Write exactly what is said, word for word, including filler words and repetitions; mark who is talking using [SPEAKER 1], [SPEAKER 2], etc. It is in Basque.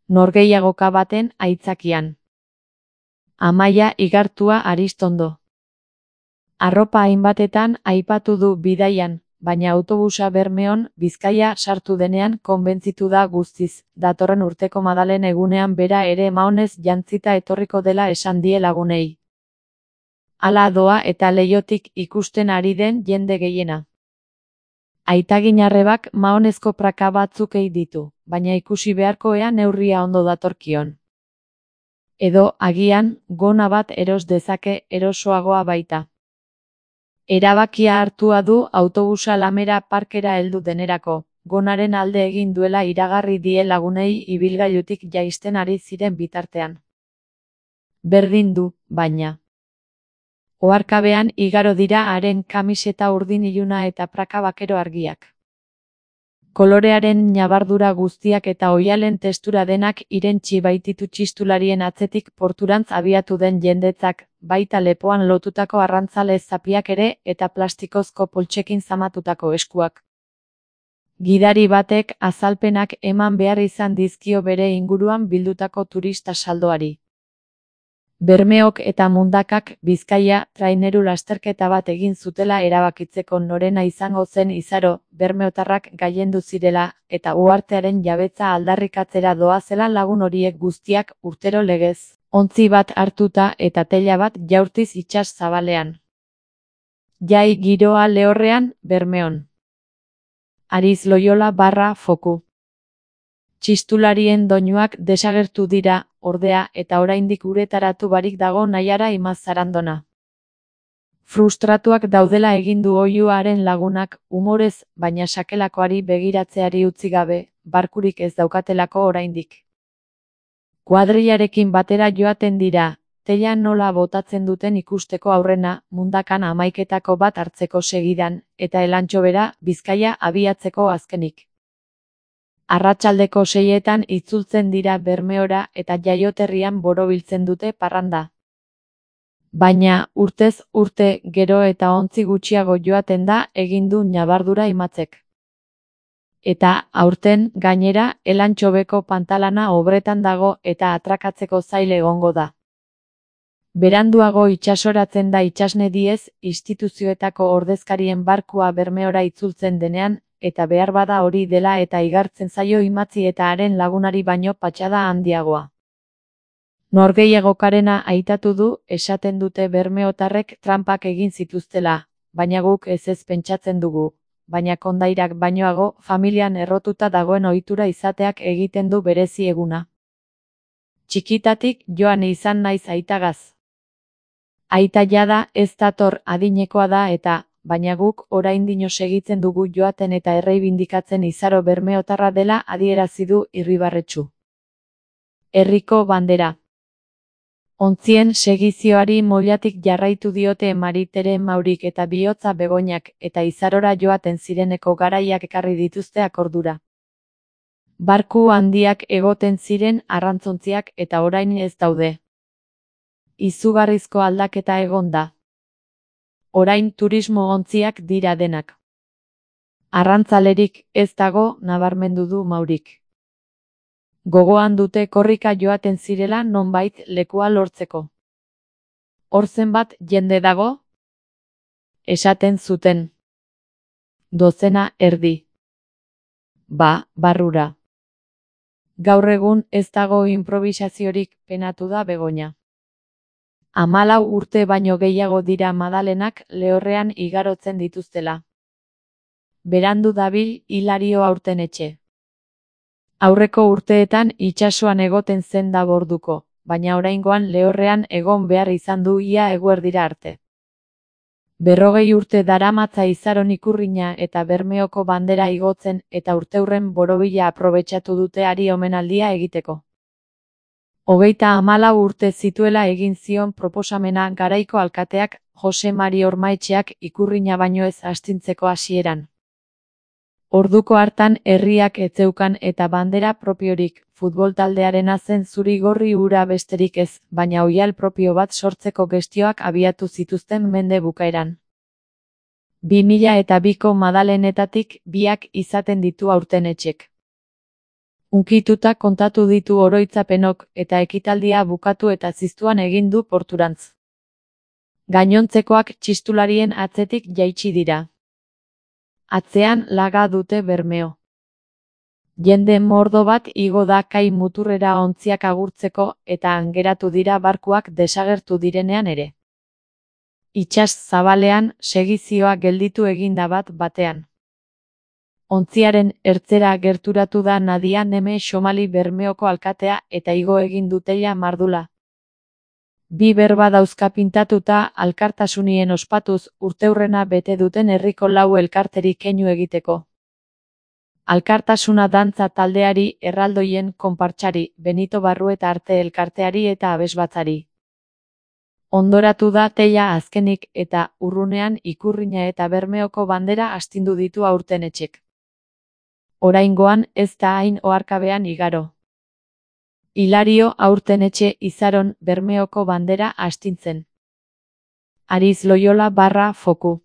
[SPEAKER 1] norgehiagoka baten aitzakian. Amaia Igartua Aristondo. Arropa hainbatetan aipatu du bidaian, baina autobusa Bermeon, Bizkaia sartu denean konbentzitu da guztiz, datorren urteko Madalen egunean bera ere maonez jantzita etorriko dela esan die lagunei. Hala doa eta leihotik ikusten ari den jende gehiena. Aitaginarrebak maonezko praka batzuk ei ditu, baina ikusi beharko ea neurria ondo datorkion. Edo, agian, gona bat eros dezake erosoagoa baita. Erabakia hartua du autobusa Lamera parkera heldu denerako, gonaren alde egin duela iragarri die lagunei ibilgailutik jaisten ari ziren bitartean. Berdin du, baina. Oharkabean igaro dira haren kamiseta urdin iluna eta praka bakero argiak. Kolorearen ñabardura guztiak eta oihalen testura denak irentsi baititu txistularien atzetik porturantz abiatu den jendetzak, baita lepoan lotutako arrantzale zapiak ere eta plastikozko poltsekin zamatutako eskuak. Gidari batek azalpenak eman behar izan dizkio bere inguruan bildutako turista saldoari. Bermeok eta Mundakak Bizkaia traineru lasterketa bat egin zutela erabakitzeko norena izango zen izaro, bermeotarrak gailendu zirela, eta uhartearen jabetza aldarrikatzera doazela lagun horiek guztiak urtero legez, ontzi bat hartuta eta teila bat jaurtiz itsas zabalean. Jai giroa lehorrean, Bermeon. Ariz Loyola barra foku. Txistularien doinuak desagertu dira, ordea, eta oraindik uretaratu barik dago Naiara Imaz Zarandona. Frustratuak daudela egin du oihuaren lagunak, umorez, baina sakelakoari begiratzeari utzi gabe, barkurik ez daukatelako oraindik. Kuadrillarekin batera joaten dira, teila nola botatzen duten ikusteko aurrena, Mundakan hamaiketako bat hartzeko segidan, eta Elantxo bera, Bizkaia abiatzeko azkenik. Arratsaldeko seietan itzultzen dira Bermeora eta jaioterrian borobiltzen dute parranda. Baina, urtez urte gero eta ontzi gutxiago joaten da egin du ñabardura Imatzek. Eta, aurten, gainera, Elantxobeko pantalana obretan dago eta atrakatzeko zail egongo da. Beranduago itsasoratzen da itsasne diez, instituzioetako ordezkarien barkua Bermeora itzultzen denean, eta behar bada hori dela eta igartzen zaio Imatzi eta haren lagunari baino patxada handiagoa. Norgehiagokarena aitatu du, esaten dute bermeotarrek tranpak egin zituztela, baina guk ez ez pentsatzen dugu, baina kondairak bainoago familian errotuta dagoen ohitura izateak egiten du berezi eguna. Txikitatik joan izan naiz aitagaz. Aita jada ez dator adinekoa da eta, baina guk oraindino segitzen dugu joaten eta erreibindikatzen izaro bermeotarra dela adierazi du Irribarretxu. Herriko bandera. Ontzien segizioari moilatik jarraitu diote Maritere Maurik eta Bihotza Begoñak eta izarora joaten zireneko garaiak ekarri dituzte akordura. Barku handiak egoten ziren arrantzontziak eta orain ez daude. Izugarrizko aldaketa egon da. Orain turismo ontziak dira denak. Arrantzalerik ez dago nabarmendu du Maurik. Gogoan dute korrika joaten zirela nonbait lekua lortzeko. Hor zenbat jende dago? Esaten zuten. Dozena erdi. Ba, barrura. Gaur egun ez dago improvisaziorik, penatu da Begoña. Hamalau urte baino gehiago dira Madalenak lehorrean igarotzen dituztela. Berandu dabil Hilario aurten etxe. Aurreko urteetan itsasoan egoten zen da borduko, baina oraingoan lehorrean egon behar izan du ia eguerdira arte. Berrogei urte daramatza izaron ikurrina eta Bermeoko bandera igotzen eta urteurren borobila aprobetxatu dute hari omenaldia egiteko. Hogeita hamalau urte zituela egin zion proposamena garaiko alkateak Jose Mari Ormaetxeak ikurrina baino ez astintzeko hasieran. Orduko hartan herriak ez zeukan eta bandera propiorik, futbol taldearena zen zuri-gorri hura besterik ez, baina oihal propio bat sortzeko gestioak abiatu zituzten mende bukaeran. Bi mila eta biko Madalenetatik biak izaten ditu aurten etxek. Unkituta kontatu ditu oroitzapenok eta ekitaldia bukatu eta ziztuan egin du porturantz. Gainontzekoak txistularien atzetik jaitsi dira. Atzean laga dute Bermeo. Jende mordo bat igo da kai muturrera ontziak agurtzeko eta angeratu dira barkuak desagertu direnean ere. Itsas zabalean segizioa gelditu eginda bat batean. Ontziaren ertzera gerturatu da Nadia Neme Xomali Bermeoko alkatea eta igo egin dutela mardula. Bi berba dauzka pintatuta alkartasunien ospatuz urteurrena bete duten herriko lau elkarteri keinu egiteko. Alkartasuna dantza taldeari, erraldoien konpartsari, Benito Barrueta arte elkarteari eta abesbatzari. Ondoratu da teila azkenik eta urrunean ikurrina eta Bermeoko bandera astindu ditu aurten etxek. Oraingoan ez da hain oharkabean igaro. Hilario aurten etxe izaron Bermeoko bandera astintzen. Ariz Loyola barra foku.